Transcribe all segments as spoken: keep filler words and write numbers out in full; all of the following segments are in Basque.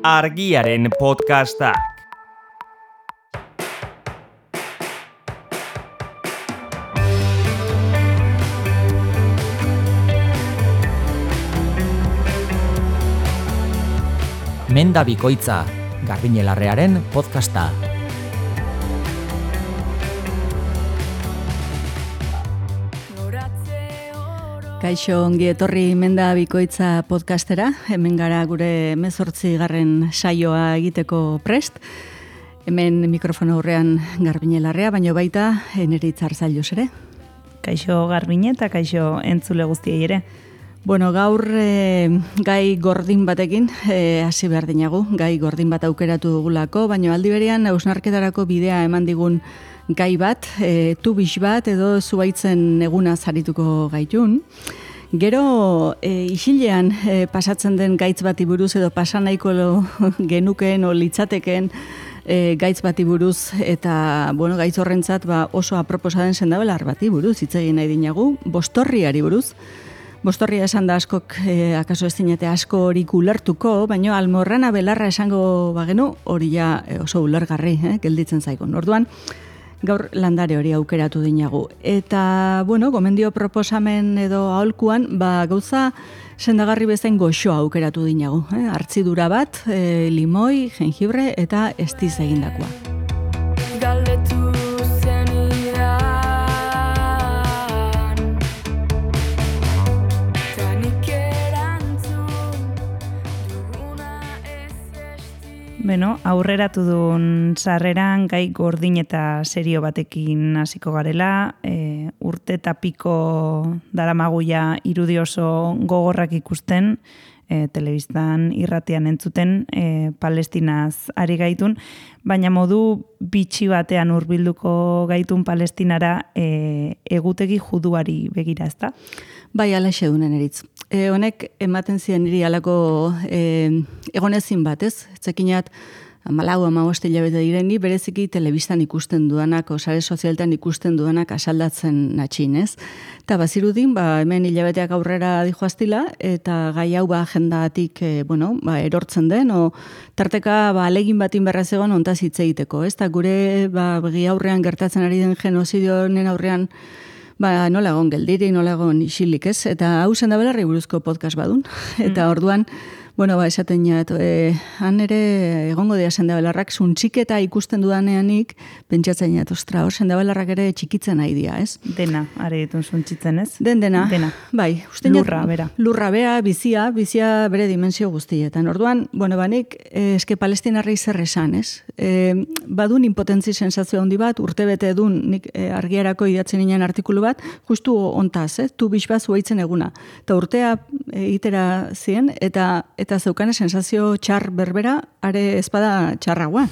Argiaren podcastak. Menda bikoitza, Garbine Larrearen podcasta. Kaixo, ongi etorri Menda bikoitza podcastera. Hemen gara gure hemezortzi garren saioa egiteko prest. Hemen mikrofono aurrean Garbine Larrea, baino baita Eneri Itzarzailuz ere. Kaixo Garbine eta kaixo entzule guztiei ere. Bueno, gaur e, gai gordin batekin e, hasi behar dinagu, gai gordin bat aukeratu dugulako, baina aldi berean hausnarketarako bidea eman digun gai bat, e, tubix bat edo zuaitzen eguna zarituko gaitun. Gero e, isilean e, pasatzen den gaitz bati buruz edo pasanaiko genukeen o litzateken e, gaitz bati buruz eta bueno, gaitz horrentzat ba, oso aproposa den sendabelar bati buruz, hitz egin nahi dinagu, bostorriari buruz. Bostorria esan da askok, eh, akaso ez dinete asko hori ulertuko, baina almorrana belarra esango bagenu, hori ja oso ulergarri, eh, gelditzen zaigun. Orduan, gaur landare hori aukeratu dinagu. Eta, bueno, gomendio proposamen edo aholkuan, ba, gauza sendagarri bezain goxoa aukeratu dinagu. Eh? Hartzidura bat, eh, limoi, jengibre eta estiz egindakoa. Galdetu. Beno, aurreratu duen sarreran gai gordin eta serio batekin hasiko garela, e, urte eta piko daramaguia irudi oso gogorrak ikusten, e, telebistan irratian entzuten, e, Palestinaz ari gaitun, baina modu bitxi batean hurbilduko gaitun Palestinara e, egutegi juduari begira, ezta? Bai, alaxe dunen eritz. E, honek ematen ziren niri alako e, egonezin bat, ez? Zekinat, amalau, amabost hilabete direni, bereziki telebistan ikusten duanak, osare sozialtan ikusten duanak asaldatzen natxin, ez? Eta bazirudin, ba, hemen hilabeteak aurrera dijoaztila, eta gai hau ba, agendatik, e, bueno, ba, erortzen den, o tarteka ba, alegin batin berraz egon ontaz hitz egiteko, ez? Eta gure ba, begi aurrean gertatzen ari den genozidio honen aurrean, ba, nola egon geldiri, nola egon isilik, ez? Eta hau sendabelarri buruzko podcast badun. Eta orduan, bueno, ba, esaten jat, e, han ere egongo dira sendabelarrak, zuntxiketa ikusten dudaneanik, pentsatzen jat, ostra, hor sendabelarrak ere txikitzen nahi dira, ez? Dena, are ditun zuntxitzen, ez? Den dena. Dena. Bai, lurra, jat, bera. Lurra, bera, bizia, bizia bere dimensio guztietan. Orduan, bueno, banik, e, eske palestinarrei zer esan, ez? E, badun impotentzi sensazio handi bat, urte bete edun, nik e, argiarako idatzen inen artikulu bat, justu ontaz, eh? Tu bisbat zuaitzen eguna. Eta urtea e, itera zien, eta eta zeukane sensazio txar berbera, are ezpada txarragoa.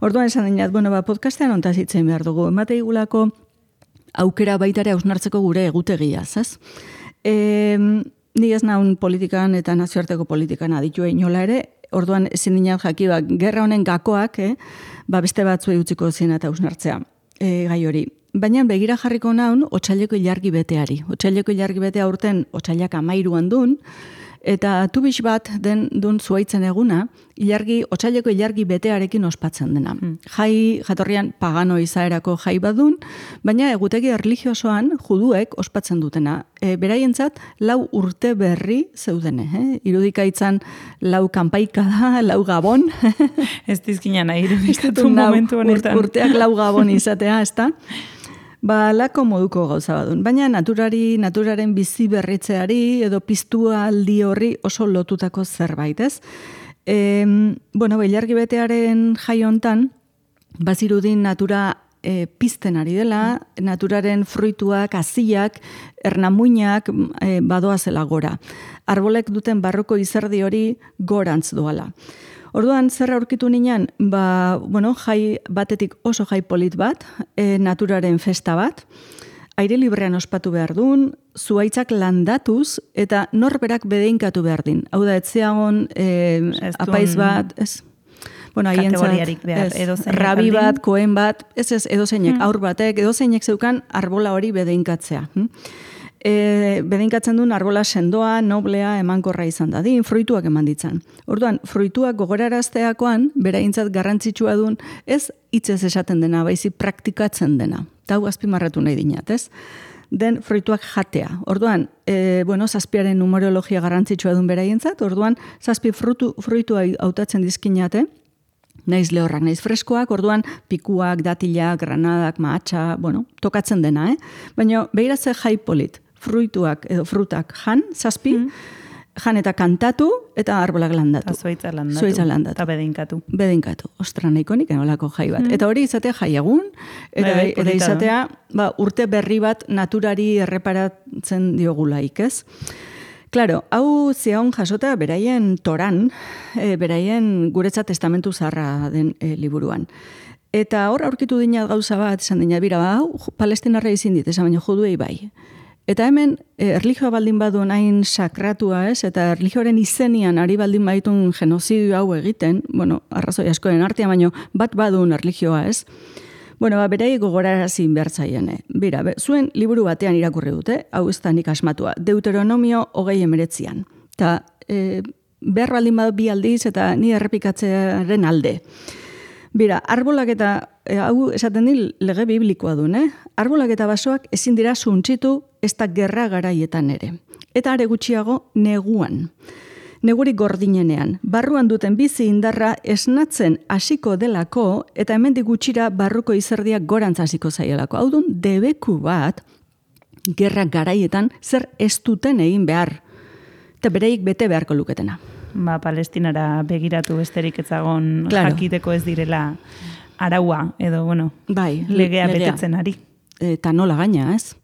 Orduan esan dinat, bueno, ba, podcastean ontaz hitzen behar dugu. Emate igulako aukera baitare hausnartzeko gure egutegiaz, ez? E, ni ez naun politikan eta nazioarteko politikan aditu inola ere, orduan ezin dinat jaki, ba, gerra honen gakoak, eh? Ba, beste batzu utziko zien eta hausnartzea, e, gai hori. Baina begira jarriko naun, otsaileko ilargi beteari. Otsaileko ilargi betea urten, otsailak amairuan dun, eta tubix bat den dun zuaitzen eguna, ilargi, otsaileko ilargi betearekin ospatzen dena. Mm. Jai, jatorrian pagano izaerako jai badun, baina egutegi erlijiosoan juduek ospatzen dutena. E, beraientzat, lau urte berri zeudene. Eh? Irudikaitzan lau kanpaika da, lau gabon. Ez dizkina nahi irudikatu momentu honetan. Urteak lau gabon izatea, ez da? Ba, lako moduko gauza badun. Baina naturari, naturaren bizi berritzeari edo piztua aldi horri oso lotutako zerbait, ez? E, bueno, ilargi betearen jai hontan, bazirudin natura e, pizten ari dela, naturaren fruituak, haziak, ernamuinak e, badoazela gora. Arbolek duten barroko izerdi hori gorantz doala. Orduan, zer aurkitu ninan, ba, bueno, jai batetik oso jai polit bat, e, naturaren festa bat, aire librean ospatu behar duen, zuaitzak landatuz, eta norberak bedeinkatu behar din. Hau da, etzeagon e, apaiz bat, ez? Bueno, kategoriarik behar, edozeinek rabi bat, koen bat, ez ez, edozeinek, mm. aur batek, edozeinek zeukan arbola hori bedeinkatzea. Hm? E, bedinkatzen duen arbola sendoa, noblea, emankorra izan dadin, fruituak eman ditzan. Orduan, fruituak gogorarazteakoan, beraintzat garrantzitsua duen, ez hitzez esaten dena, baizik praktikatzen dena. Eta hau azpimarratu nahi dinat, ez? Den fruituak jatea. Orduan, e, bueno, zazpiaren numerologia garrantzitsua duen beraientzat, orduan, zazpi frutu, fruitua hautatzen dizkinate, naiz lehorrak, naiz freskoak, orduan pikuak, datilak, granadak, mahatxa, bueno, tokatzen dena, eh? Baina, behiratze jai polit, fruituak edo frutak jan, zazpi, mm. jan eta kantatu, eta arbolak landatu. Eta zuaitza landatu. Zuaitza landatu. Eta bedeinkatu. Bedeinkatu. Ostra, nahiko nik enolako jai bat. Mm. Eta hori izatea jai egun, eta, Bai, eta izatea ba, urte berri bat naturari erreparatzen diogulaik, ez? Claro, hau zion jasota beraien toran, e, beraien guretzat testamentu zaharra den e, liburuan. Eta hor aurkitu dinat gauza bat, esan dinat, bira, hau palestinarra izin dit, esan baino juduei bai. Eta hemen, e, erlijioa baldin badu nahin sakratua ez, eta erlijioaren izenian ari baldin baitun genozidio hau egiten, bueno, arrazoi askoren artean, baino bat badun erlijioa ez, bueno, ba, berai gogorarazin behartzaien. Bira, be, zuen liburu batean irakurri dute, hau ez da nik asmatua, Deuteronomio hogei emeretzian. Eta e, behar baldin badu bi aldiz eta ni errepikatzearen alde. Bira, arbolak eta, e, hau esaten di lege biblikoa duen, eh? Arbolak eta basoak ezin dira suntxitu ez da gerra garaietan ere. Eta are gutxiago neguan. Negurik gordinenean, barruan duten bizi indarra esnatzen hasiko delako eta hemendik gutxira barruko izerdiak gorantz hasiko zaielako. Hau dun, debeku bat, gerra garaietan zer ez duten egin behar. Eta bereik bete beharko luketena. Ba, Palestinara begiratu besterik etzagon claro. Jakiteko ez direla araua, edo, bueno, bai, legea, legea betetzen ari. Eta nola gaina, ez?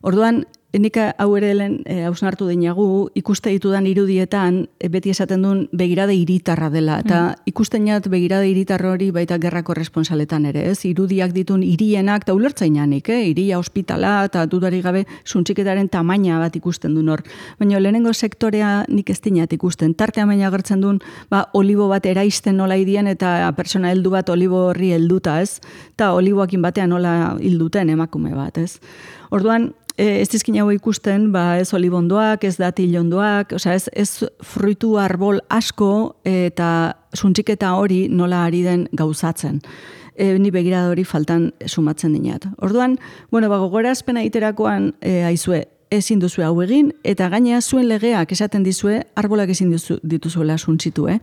Orduan, nik hau ere lehen e, hausnartu dinagu, ikuste ditudan irudietan, e, beti esaten duen begirade hiritarra dela. Eta mm. ikusten jat begirade hiritar hori baita gerrako responsaletan ere, ez? Irudiak ditun hirienak, eta ulertzainanik, eh? Hiria ospitala, eta dudarik gabe suntxiketaren tamaina bat ikusten duen hor. Baina lehenengo sektorea nik ez dinat ikusten. Tartea baina agertzen duen, ba, olibo bat eraisten nola idien, eta persona heldu bat olibo horri helduta, ez? Eta oliboakin batean nola hilduten emakume bat, ez? Orduan, ez dizkin hau ikusten, ba, ez olibondoak, ez datilondoak, osea, ez, ez fruitu arbol asko eta suntxiketa hori nola ari den gauzatzen. E, ni begirada hori faltan sumatzen dinat. Orduan, bueno, ba, gogorazpena iterakoan e, aizue, ezin duzu hau egin, eta gaina zuen legeak esaten dizue, arbolak ezin dituzuela suntxitu, eh?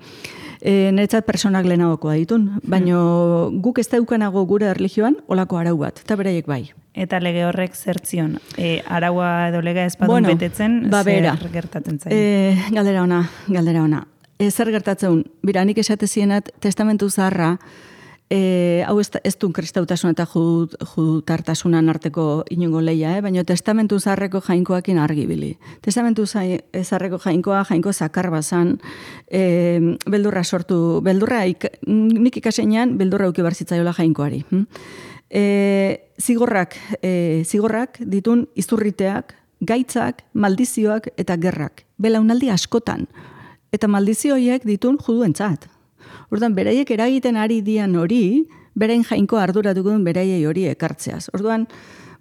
E, Niretzat personak lehenagokoa ditun, baina guk ez daukanago gure erlijioan olako arau bat, eta beraiek bai. Eta lege horrek zertzion, e, araua edo lega ez badun bueno, betetzen, ba, zer gertatzen zain? E, galdera ona, galdera ona. E, zer gertatzen, bira, nik esate zienat testamentu zaharra, e, hau ez, ez duen kristautasun eta judutartasunan arteko inungo leia, eh? Baina testamentu zaharreko jainkoakin argibili. Testamentu zaharreko jainkoa, jainko zakar bazan, e, beldurra sortu, beldurra, ik, nik ikasenean, beldurra uki barzitzaiola jainkoari. Hm? E, zigorrak, e, zigorrak ditun izurriteak, gaitzak, maldizioak eta gerrak. Belaunaldi askotan. Eta maldizioiek ditun juduentzat. Orduan, beraiek eragiten ari dian hori, berain jainko arduratuko duen beraiei hori ekartzeaz. Orduan,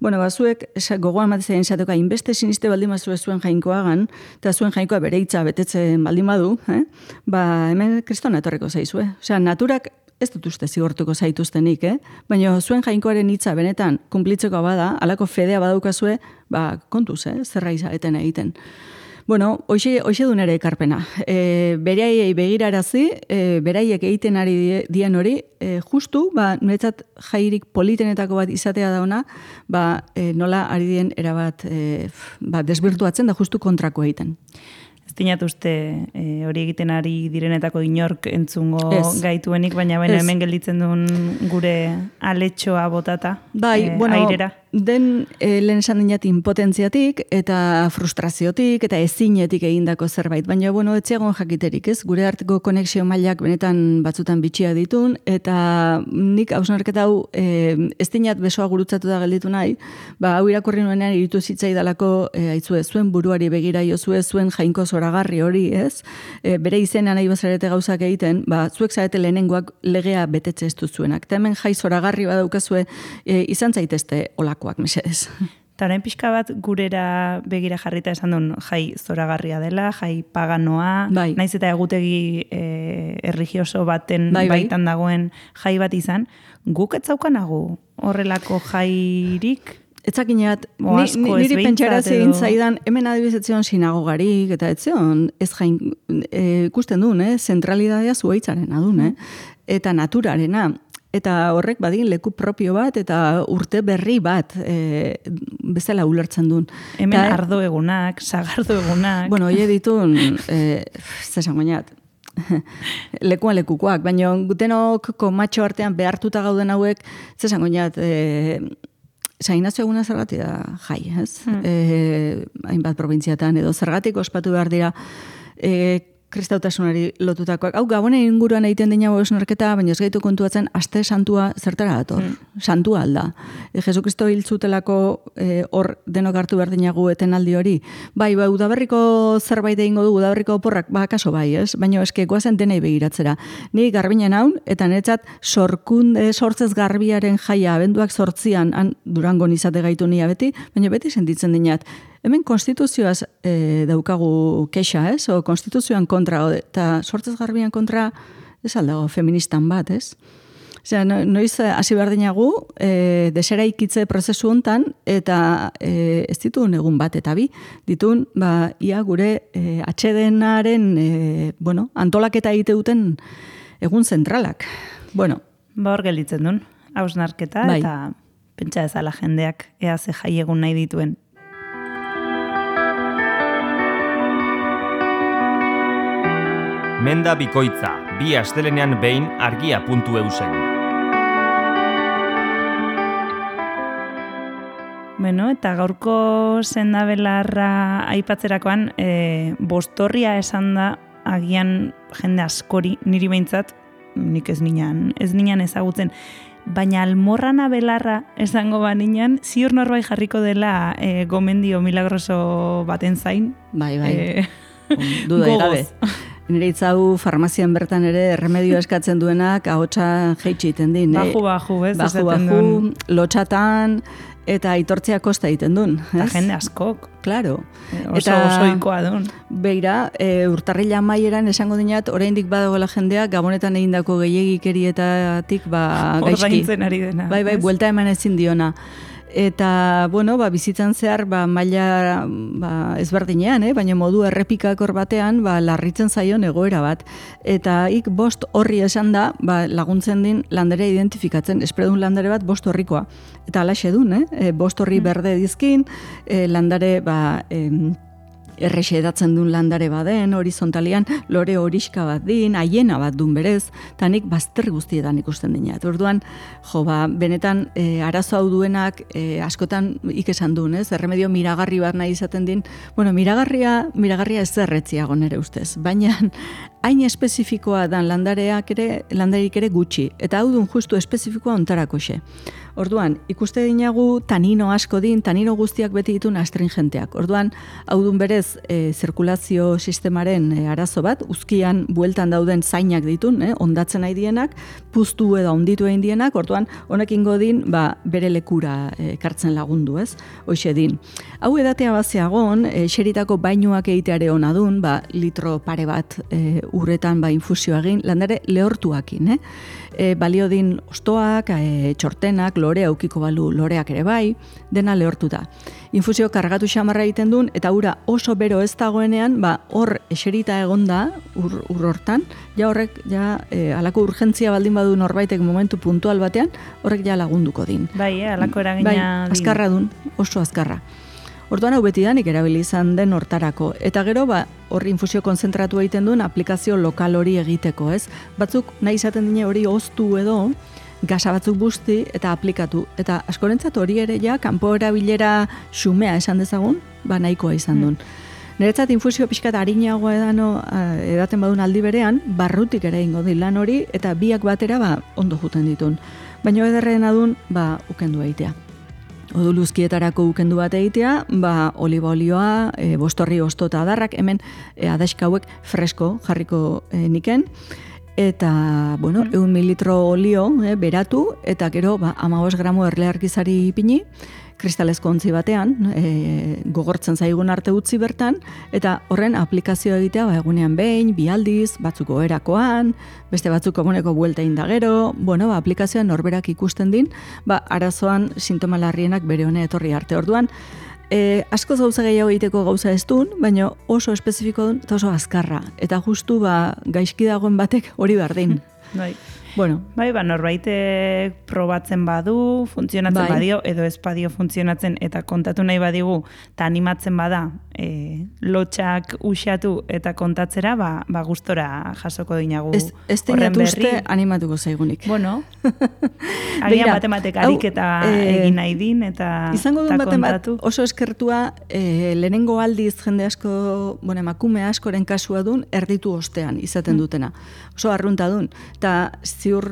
bueno, bazuek, gogoan matizaren esateko, inbeste siniste baldin bazue zuen jainkoagan, eta zuen jainkoa bere hitza betetzen baldin badu, eh? Ba, hemen kriston etorreko zaizue. Osea, naturak ez dut uste zigortuko zaituztenik, eh? Baina zuen jainkoaren hitza benetan kumplitzeko bada, alako fedea badaukazue, ba, kontuz, eh? Zerra izaeten egiten. Bueno, hoxe, hoxe dun ere ekarpena. E, beraiei begirarazi, e, beraiek egiten ari dien hori, e, justu, ba, niretzat jairik politenetako bat izatea dauna, ba, e, nola ari dien erabat e, ba, desbirtuatzen da justu kontrako egiten. Ez dinat uste e, hori egiten ari direnetako inork entzungo ez. Gaituenik, baina baina hemen gelditzen duen gure aletxoa botata, bai, e, bueno, airera. Den e, lehen esan dinat impotentziatik eta frustraziotik eta ezinetik egindako zerbait. Baina, bueno, etziagon jakiterik, ez? Gure arteko konexio mailak benetan batzutan bitxia ditun, eta nik hausnarketa hau e, ez dinat besoa gurutzatu da gelditu nahi, ba, hau irakurri nuenean iritu zitzaidalako e, aitzue, zuen buruari begira jozue, zuen jainko zoragarri hori, ez? E, bere izena nahi bazarete gauzak egiten, ba, zuek zarete lehenengoak legea betetze ez duzuenak. Eta hemen jai zoragarri badaukazue e, izan zaitezte olako. Mesedez. Eta orain pixka bat gurera begira jarrita esan duen jai zoragarria dela, jai paganoa, bai. naiz eta egutegi e, erligioso baten bai, bai. baitan dagoen jai bat izan, guk etzaukanagu horrelako jairik? Etzakineat, O ni, asko ni, ez niri behintzat pentsarazi edo- egin zaidan, hemen adibizetzion sinagogarik, eta etzion, ez jain, e, ikusten duen, eh? Zentralidadea zuaitzaren adun, eh? Eta naturarena. Eta horrek badin leku propio bat eta urte berri bat e, bezala ulertzen duen. Hemen Ta- ardo egunak, sagardo egunak. Bueno, hie ditun, e, zesan goinat, lekuan lekukoak, baina gutenok komatxo artean behartuta gauden hauek, zesan goinat, e, San Ignacio eguna zergatik da jai, ez? Hmm. E, hainbat probintziatan edo zergatik ospatu behar dira e, kristautasunari lotutakoak. Hau, Gabonen inguruan egiten dina osnorketa, baina ez gaitu kontuatzen aste santua zertara dator. Mm. Santua alda. E, Jesu Kristo hiltzutelako e, hor denok hartu behar dinagu etenaldi hori. Bai, bai, udaberriko zerbait egingo du, udaberriko oporrak, ba, kaso bai, ez? Baina eske goazen denei begiratzera. Ni garbinen haun, eta netzat sorkunde sortzez garbiaren jaia, abenduak sortzian, han Durangon izate gaitu nia beti, baina beti sentitzen dinat. Hemen konstituzioaz e, daukagu kexa, ez? O konstituzioan kontra, o, eta sortzez garbian kontra, ez aldago, feministan bat, ez? Osea, no, noiz hasi behar dinagu, e, deseraikitze prozesu hontan, eta e, ez ditun egun bat, eta bi, ditun, ba, ia gure e, atxedenaren, e, bueno, antolaketa egite duten egun zentralak. Bueno, Ba hor gelditzen duen, hausnarketa Bai. eta pentsa ezala jendeak ea ze jai egun nahi dituen. Menda bikoitza, bi astelenean behin argia puntu eusen. Bueno, eta gaurko sendabelarra aipatzerakoan, e, bostorria esan da agian jende askori, niri behintzat, nik ez ninan, ez ninan ezagutzen, baina almorrana belarra esango baninan, ziur norbait jarriko dela e, gomendio milagroso baten zain. bai, bai. E, Duda gogoz. gabe. Nire itzau farmazian bertan ere remedio eskatzen duenak ahotsa jeitsi iten din. Baju, baju, ez? Baju, esaten baju, duen. lotxatan, eta aitortzea kosta egiten duen. Eta ez? jende askok. Claro. E, Oso osoikoa duen. Beira, e, urtarrila maieran esango dinat, oraindik badagoela jendea, gabonetan egindako gehiegikerietatik ba, gaizki. Ordaintzen ari dena. Bai, bai, ez? buelta eman ezin diona. Eta, bueno, ba, bizitzan zehar, ba, maila ba, ezberdinean, eh? Baina modu errepikakor batean, ba, larritzen zaion egoera bat. Eta ik bost horri esan da, ba, laguntzen din landare identifikatzen, espredun landare bat bost horrikoa. Eta alaxe dun, eh? E, bost horri berde dizkin, e, landare, ba, em, errexe edatzen duen landare baden, horizontalian, lore horiska bat din, haiena bat dun berez, eta nik bazter guztietan ikusten dinat. Orduan, jo, ba, benetan, e, arazo hau duenak, e, askotan ikesan duen, ez? Erremedio miragarri bat nahi izaten din. Bueno, miragarria, miragarria ez zerretziago nere ustez, baina hain espezifikoa dan landareak ere, landarik ere gutxi, eta hau dun justu espezifikoa ontarako xe. Orduan, ikuste dinagu tanino asko din, tanino guztiak beti ditun astringenteak. Orduan, hau dun berez, e, zirkulazio sistemaren e, arazo bat, uzkian bueltan dauden zainak ditun, eh, ondatzen nahi dienak, puztu edo onditu egin dienak, orduan, honekin godin, ba, bere lekura e, kartzen lagundu, ez? Hoxe din. Hau edatea bazeagon, e, xeritako bainuak egiteare ona dun, ba, litro pare bat e, urretan ba, infusio egin, landare lehortuakin, eh? E, balio din ostoak, e, txortenak, lore aukiko balu loreak ere bai, dena lehortuta. Infusio kargatu xamarra egiten duen, eta ura oso bero ez dagoenean, ba, hor eserita egonda, ur, ur hortan, ja horrek, ja, e, alako urgentzia baldin badu norbaitek momentu puntual batean, horrek ja lagunduko din. Bai, eh, alako eragina Bai, din. azkarra dun, oso azkarra. Orduan hau betidanik erabili izan den hortarako. Eta gero, ba, horri infusio konzentratu egiten duen aplikazio lokal hori egiteko, ez? Batzuk nahi izaten dine hori oztu edo, gasa batzuk busti eta aplikatu. Eta askorentzat hori ere ja, kanpo erabilera xumea esan dezagun, ba nahikoa izan duen. Niretzat infusio pixkat harinagoa edano, edaten badun aldi berean, barrutik ere ingo di lan hori, eta biak batera ba, ondo juten ditun. Baina ederrena dun, ba, ukendu egitea. Oduluzkietarako ukendu bat egitea, ba, oliba olioa, e, bostorri ostota adarrak, hemen e, adaxka hauek fresko jarriko e, niken, eta, bueno, eun mililitro olio e, beratu, eta gero, ba, amabos gramo erlearkizari ipini, kristalezko ontzi batean, e, gogortzen zaigun arte utzi bertan, eta horren aplikazio egitea ba, egunean behin, bi aldiz, batzuk oherakoan, beste batzuk komuneko buelta indagero, bueno, ba, aplikazioan norberak ikusten din, ba, arazoan sintoma larrienak bere hone etorri arte. Orduan, E, asko gauza gehiago egiteko gauza ez duen, baina oso espezifiko duen eta oso azkarra. Eta justu ba, gaizki dagoen batek hori berdin. Bai. Bueno. Bai, ba, norbaitek probatzen badu, funtzionatzen bai. badio, edo ez badio funtzionatzen, eta kontatu nahi badigu, eta animatzen bada, e, lotxak usatu eta kontatzera, ba, ba gustora jasoko dinagu Ez, ez horren berri. uste animatuko zaigunik. Bueno, agian batematek ariketa e, egin nahi din, eta, izango duen eta baten bat kontatu. oso eskertua e, lehenengo aldiz jende asko, bueno, emakume askoren kasua dun, erditu ostean izaten dutena. Oso arrunta dun. Eta ziur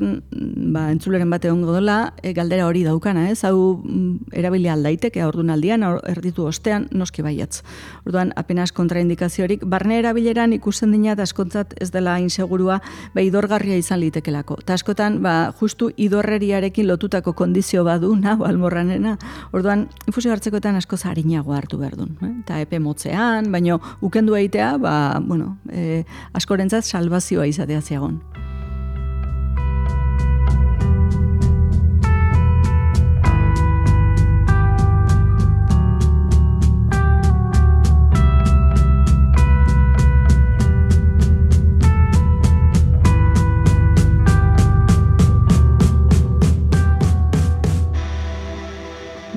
ba, entzuleren bate ongo dola, e, galdera hori daukana, ez? Hau mm, erabili aldaiteke aurdun aldian, erditu ostean, noski baiatz. Orduan, apenas kontraindikaziorik, barne erabileran ikusten dinat askontzat ez dela insegurua, ba, idorgarria izan litekelako. Ta askotan, ba, justu idorreriarekin lotutako kondizio badu, nahu almorranena. Orduan, infusio hartzekoetan asko zarinago hartu behar duen. Eh? Eta epe motzean, baino ukendu egitea, ba, bueno, e, askorentzat salvazioa izatea ziagon.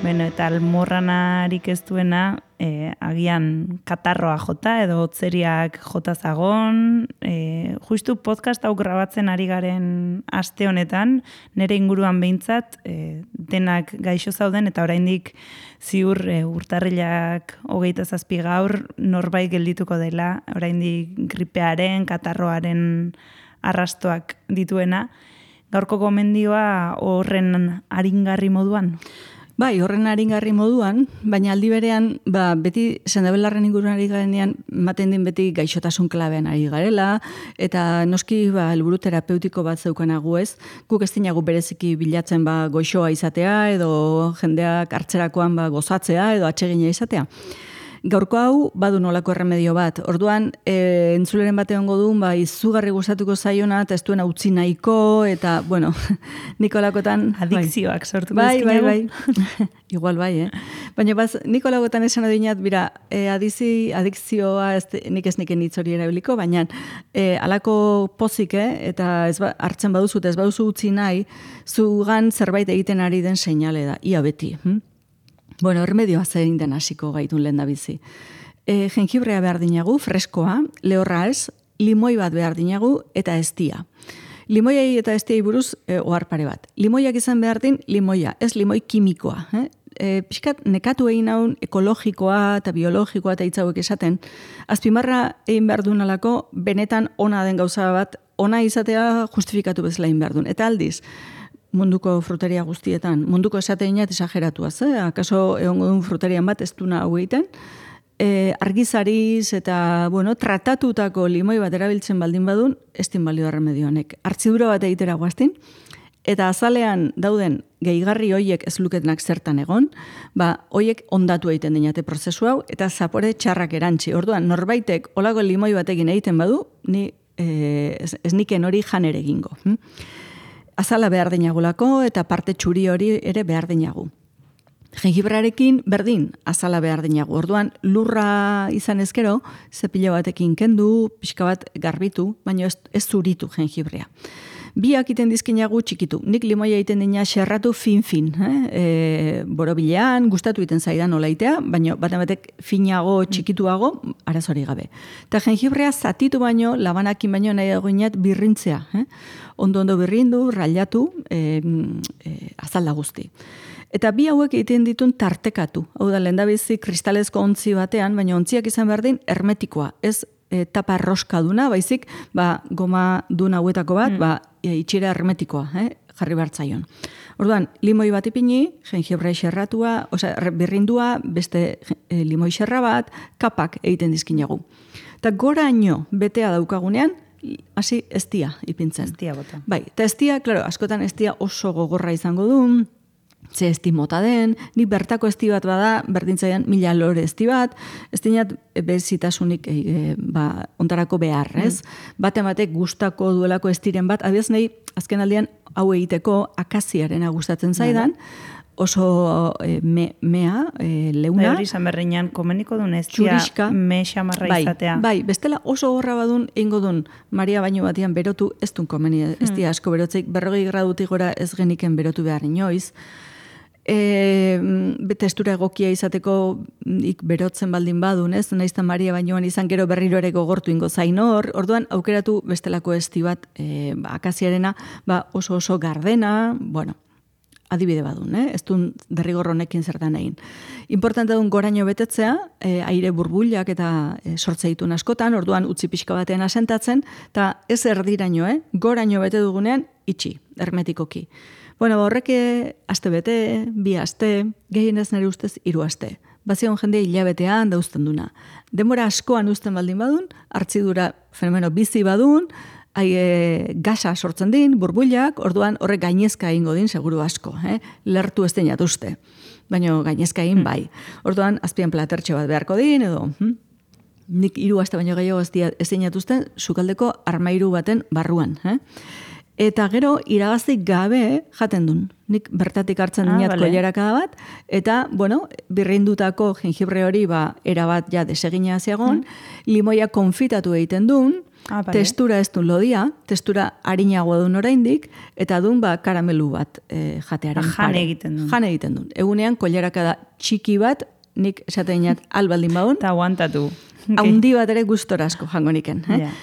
Bueno, eta almorranarik ez duena, e, agian katarroa jota edo hotzeriak jota zagon. E, justu podcast hau grabatzen ari garen aste honetan, nire inguruan behintzat, e, denak gaixo zauden eta oraindik ziur e, urtarrilak hogeita zazpi gaur norbait geldituko dela, oraindik gripearen, katarroaren arrastoak dituena. Gaurko gomendioa horren aringarri moduan? Bai, horren aringarri moduan, baina aldi berean, ba, beti sendabelarren inguruan ari garenean, maten din beti gaixotasun klabean ari garela, eta noski ba, helburu terapeutiko bat zeukanagu ez, guk ez dinagu bereziki bilatzen ba, goixoa izatea, edo jendeak hartzerakoan ba, gozatzea, edo atsegina izatea. Gaurko hau badu nolako erremedio bat. Orduan, e, entzuleren bate ongo duen, ba, izugarri gustatuko zaiona, eta ez duena utzi nahiko, eta, bueno, Nikolakotan... Adikzioak bai. Sortuko bai, bai, ezkinagu. bai, Igual bai, eh? Baina, baz, Nikolakotan esan adinat, bira, e, adizi, adikzioa, ez, nik ez niken hitz hori erabiliko, baina, e, alako pozik, eh? Eta ez ba, hartzen baduzu, eta ez baduzu utzi nahi, zugan zerbait egiten ari den seinale da, ia beti, hm? Bueno, ermedioa zein den hasiko gaitun lehen da bizi. E, jengibrea behar dinagu, freskoa, lehorra ez, limoi bat behar dinagu, eta eztia. Limoiai eta eztiai buruz, e, ohar pare bat. Limoiak izan behar din, limoia, ez limoi kimikoa. Eh? E, pixkat nekatu egin haun ekologikoa eta biologikoa eta hitzauek esaten, azpimarra egin behar duen alako, benetan ona den gauza bat, ona izatea justifikatu bezala egin behar duen. Eta aldiz, munduko fruteria guztietan, munduko esateinat esageratuaz, eh? Akaso egongo duen fruterian bat ez duna hau egiten, e, argizariz eta, bueno, tratatutako limoi bat erabiltzen baldin badun, ez din balio erremedio honek. Hartzidura bat egitera guaztin, eta azalean dauden gehigarri hoiek ez luketenak zertan egon, ba, hoiek ondatu egiten dinate prozesu hau, eta zapore txarrak erantzi. Orduan, norbaitek olago limoi batekin egiten badu, ni e, ez, ez niken hori janere egingo. Hm? Azala behar dinagulako eta parte txuri hori ere behar dinagu. Jengibrarekin berdin azala behar dinagu. Orduan lurra izan ezkero, zepilo batekin kendu, pixka bat garbitu, baina ez, ez zuritu jengibrea. Biak iten dizkinagu txikitu. Nik limoia egiten dina xerratu fin-fin. Eh? E, borobilean, gustatu iten zaidan olaitea, baina baten batek finago, txikituago, arazori gabe. Eta jengibrea zatitu baino, labanakin baino nahi dagoinat birrintzea. Eh? Ondo-ondo birrindu, railatu, e, e, azalda guzti. Eta bi hauek egiten ditun tartekatu. Hau da, lehendabizi kristalezko ontzi batean, baina ontziak izan behar din hermetikoa. Ez e, tapa roskaduna, baizik, ba, goma dun hauetako bat, mm. ba, e, itxera hermetikoa, eh? Jarri behartzaion. Orduan, limoi bat ipini, jengibre xerratua, osea, birrindua, beste e, limoi xerra bat, kapak egiten dizkinagu. Eta goraino betea daukagunean, hasi eztia ipintzen. Eztia bota. Bai, eta eztia, klaro, askotan eztia oso gogorra izango du, ze esti mota den, nik bertako esti bat bada, berdintzaian mila lore esti bat, ez dinat bezitasunik e, e, ba, ontarako behar, ez? Mm. Bate batek gustako duelako estiren bat, abiaz nahi, azken aldean, hau egiteko akaziarena gustatzen zaidan, oso e, me, mea, e, leuna. Bai, hori izan berreinan, komeniko duen ez dia me xamarra bai, izatea. Bai, bestela oso horra badun, ingo dun, Maria baino batian berotu, ez dun komeni, ez dia asko berotzeik, berrogei gradutik gora ez geniken berotu behar inoiz. E, testura egokia izateko ik berotzen baldin badun, ez? Naizta Maria bainoan izan gero berriro ere gogortu ingo zain hor, orduan aukeratu bestelako esti bat, e, ba, akaziarena, ba, oso oso gardena, bueno, adibide badun, eh? Ez duen derrigor honekin zertan egin. Importante duen goraino betetzea, e, aire burbuilak eta e, sortze ditun askotan, orduan utzi pixka batean asentatzen, eta ez erdiraino, eh? Goraino bete dugunean, itxi, hermetikoki. Bueno, horrek aste bete, bi aste, gehienez nire ustez hiru aste. Bazion jende hilabetean dauzten duna. Denbora askoan uzten baldin badun, hartzidura fenomeno bizi badun, hai, e, gasa sortzen din, burbuilak, orduan horrek gainezka egingo din, seguru asko. Eh? Lertu ez denat uste, baina gainezka egin bai. Orduan, azpian platertxe bat beharko din, edo... Hm? Nik hiru aste baino gehiago ez denat uste, sukaldeko armairu baten barruan. Eh? Eta gero, iragazik gabe jaten dun. Nik bertatik hartzen ah, dinat vale. koilarakada bat, eta, bueno, birrindutako jengibre hori, ba, erabat ja desegina zeagon, mm. limoia konfitatu egiten dun, ah, vale. Testura ez dun lodia, testura harinagoa dun oraindik, eta dun, ba, karamelu bat e, jatearen ah, pare. Jane egiten dun. Jane egiten dun. Egunean, koilarakada txiki bat, nik esaten dinat albaldin baun. Eta aguantatu. Haundi bat ere gustora asko jango niken. Eh? Yeah.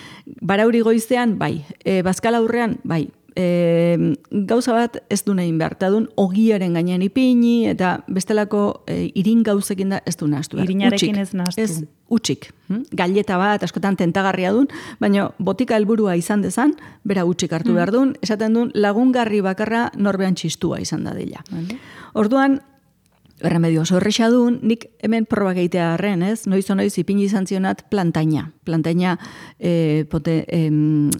Barauri goizean, bai. E, bazkala aurrean, bai. E, gauza bat ez du nahin behar. Ta dun, ogiaren gainean ipini, eta bestelako e, irin gauzekin da ez du nahaztu behar. Irinarekin ez nahaztu. Ez, utxik. Hm? Galleta bat, askotan tentagarria dun, baina botika helburua izan dezan, bera utxik hartu mm. behar dun, esaten dun, lagungarri bakarra norbean txistua izan da dela. Vale. Orduan, erremedio oso erresa dun, nik hemen probak egitea harren, ez? Noiz o noiz ipini izan zionat plantaina. Plantaina, e, pote, e,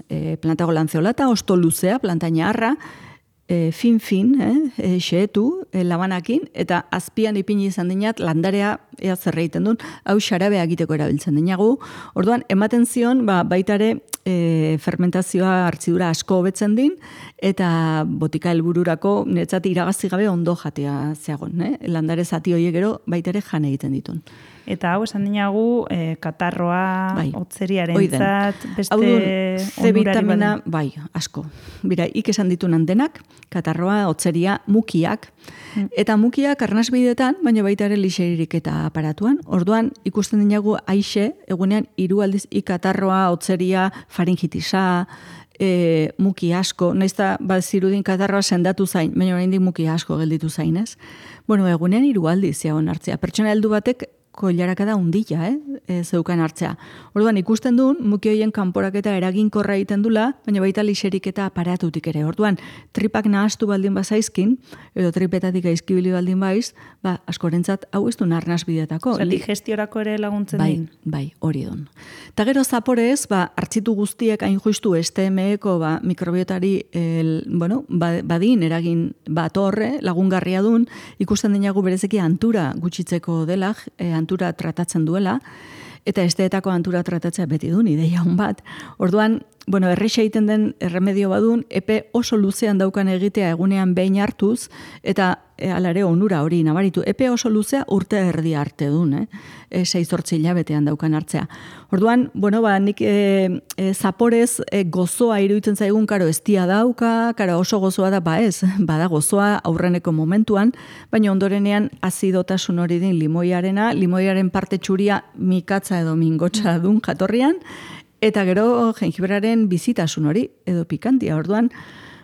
e, plantago lanzeolata, osto luzea, plantaina harra, e, fin-fin, eh? e, xeetu, e, labanakin, eta azpian ipini izan dinat, landarea ea zerreiten duen, hau xarabea egiteko erabiltzen dinagu. Orduan, ematen zion, ba, baitare, e, fermentazioa hartzidura asko hobetzen din, eta botika helbururako netzat iragazi gabe ondo jatea zeagon. Eh? Landare zati horiek gero baitare jan egiten ditun. Eta hau esan dinagu, e, katarroa, bai. Otzeriaren zat, beste C vitamina, bai, asko. Bira, ik esan ditunan denak, katarroa, otzeria, mukiak, mm. eta mukiak arnasbidetan, baina baita ere lixeririk eta aparatuan. Orduan, ikusten dinagu aixe, egunean, hiru aldiz, ikatarroa, otzeria, faringitisa, e, muki asko, naizta bat zirudin katarroa sendatu zain, baina oraindik muki asko gelditu zainez. Bueno, egunean hiru aldiz ziagon hartzea. Pertsona heldu batek koilarakada undila, eh? E, zeukan hartzea. Orduan ikusten duen, muki hoien kanporaketa eraginkorra egiten dula, baina baita lixerik eta aparatutik ere. Orduan, tripak nahastu baldin bazaizkin, edo tripetatik aizkibili baldin baiz, ba, askorentzat hau ez du narnaz bidetako. Osa, digestiorako ere laguntzen bai, din. Bai, hori don. Ta gero zaporez, ba, hartzitu guztiek hain justu S T M eko ba, mikrobiotari el, bueno, badin eragin bat horre, lagungarria dun, ikusten dinagu berezeki antura gutxitzeko dela, e, antura tratatzen duela, eta esteetako antura tratatzea beti dun, ideia hon bat. Orduan, bueno, errexa egiten den erremedio badun, epe oso luzean daukan egitea egunean behin hartuz, eta e, alare onura hori nabaritu. Epe oso luzea urte erdi arte dun, eh? E, seizortzi hilabetean daukan hartzea. Orduan, bueno, ba, nik e, e, zaporez e, gozoa iruditzen zaigun, karo, estia dauka, karo, oso gozoa da, ba ez, bada gozoa aurreneko momentuan, baina ondorenean azidotasun hori din limoiarena, limoiaren parte txuria mikatza edo mingotxa dun jatorrian, eta gero jengibraren bizitasun hori, edo pikantia, orduan,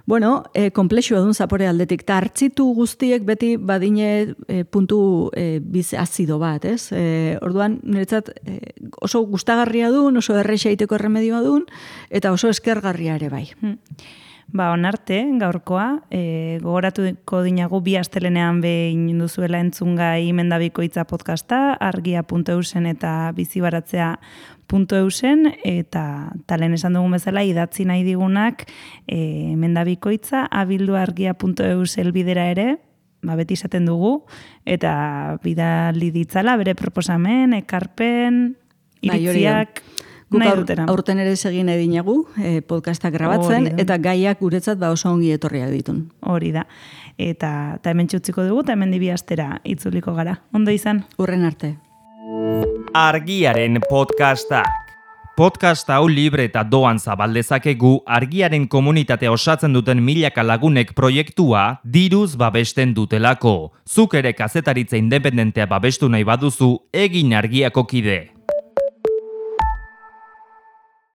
bueno, e, komplexua dun zapore aldetik, eta hartzitu guztiek beti badine e, puntu e, biz azido bat, ez? E, orduan, niretzat e, oso gustagarria dun, oso erresa egiteko erremedioa dun, eta oso eskergarria ere bai. Hmm. Ba, onarte, gaurkoa, e, gogoratuko dinagu bi astelenean behin duzuela entzungai Mendabikoitza podcasta, argia puntu eusen eta bizibaratzea puntu eusen, eta talen esan dugun bezala idatzi nahi digunak e, Mendabikoitza, abildu argia puntu eus elbidera ere, ba, beti izaten dugu, eta bidali ditzala, bere proposamen, ekarpen, iritziak, Guk nahi aur, dutena. aurten ere egin edinagu, eh, podcastak grabatzen, eta gaiak guretzat ba oso ongi etorriak ditun. Hori da. Eta, eta hemen txutziko dugu, eta hemen dibi astera itzuliko gara. Ondo izan? Urren arte. Argiaren podcastak. Podcast hau libre eta doan zabaldezakegu argiaren komunitatea osatzen duten milaka lagunek proiektua diruz babesten dutelako. Zuk ere kazetaritza independentea babestu nahi baduzu, egin argiako kide.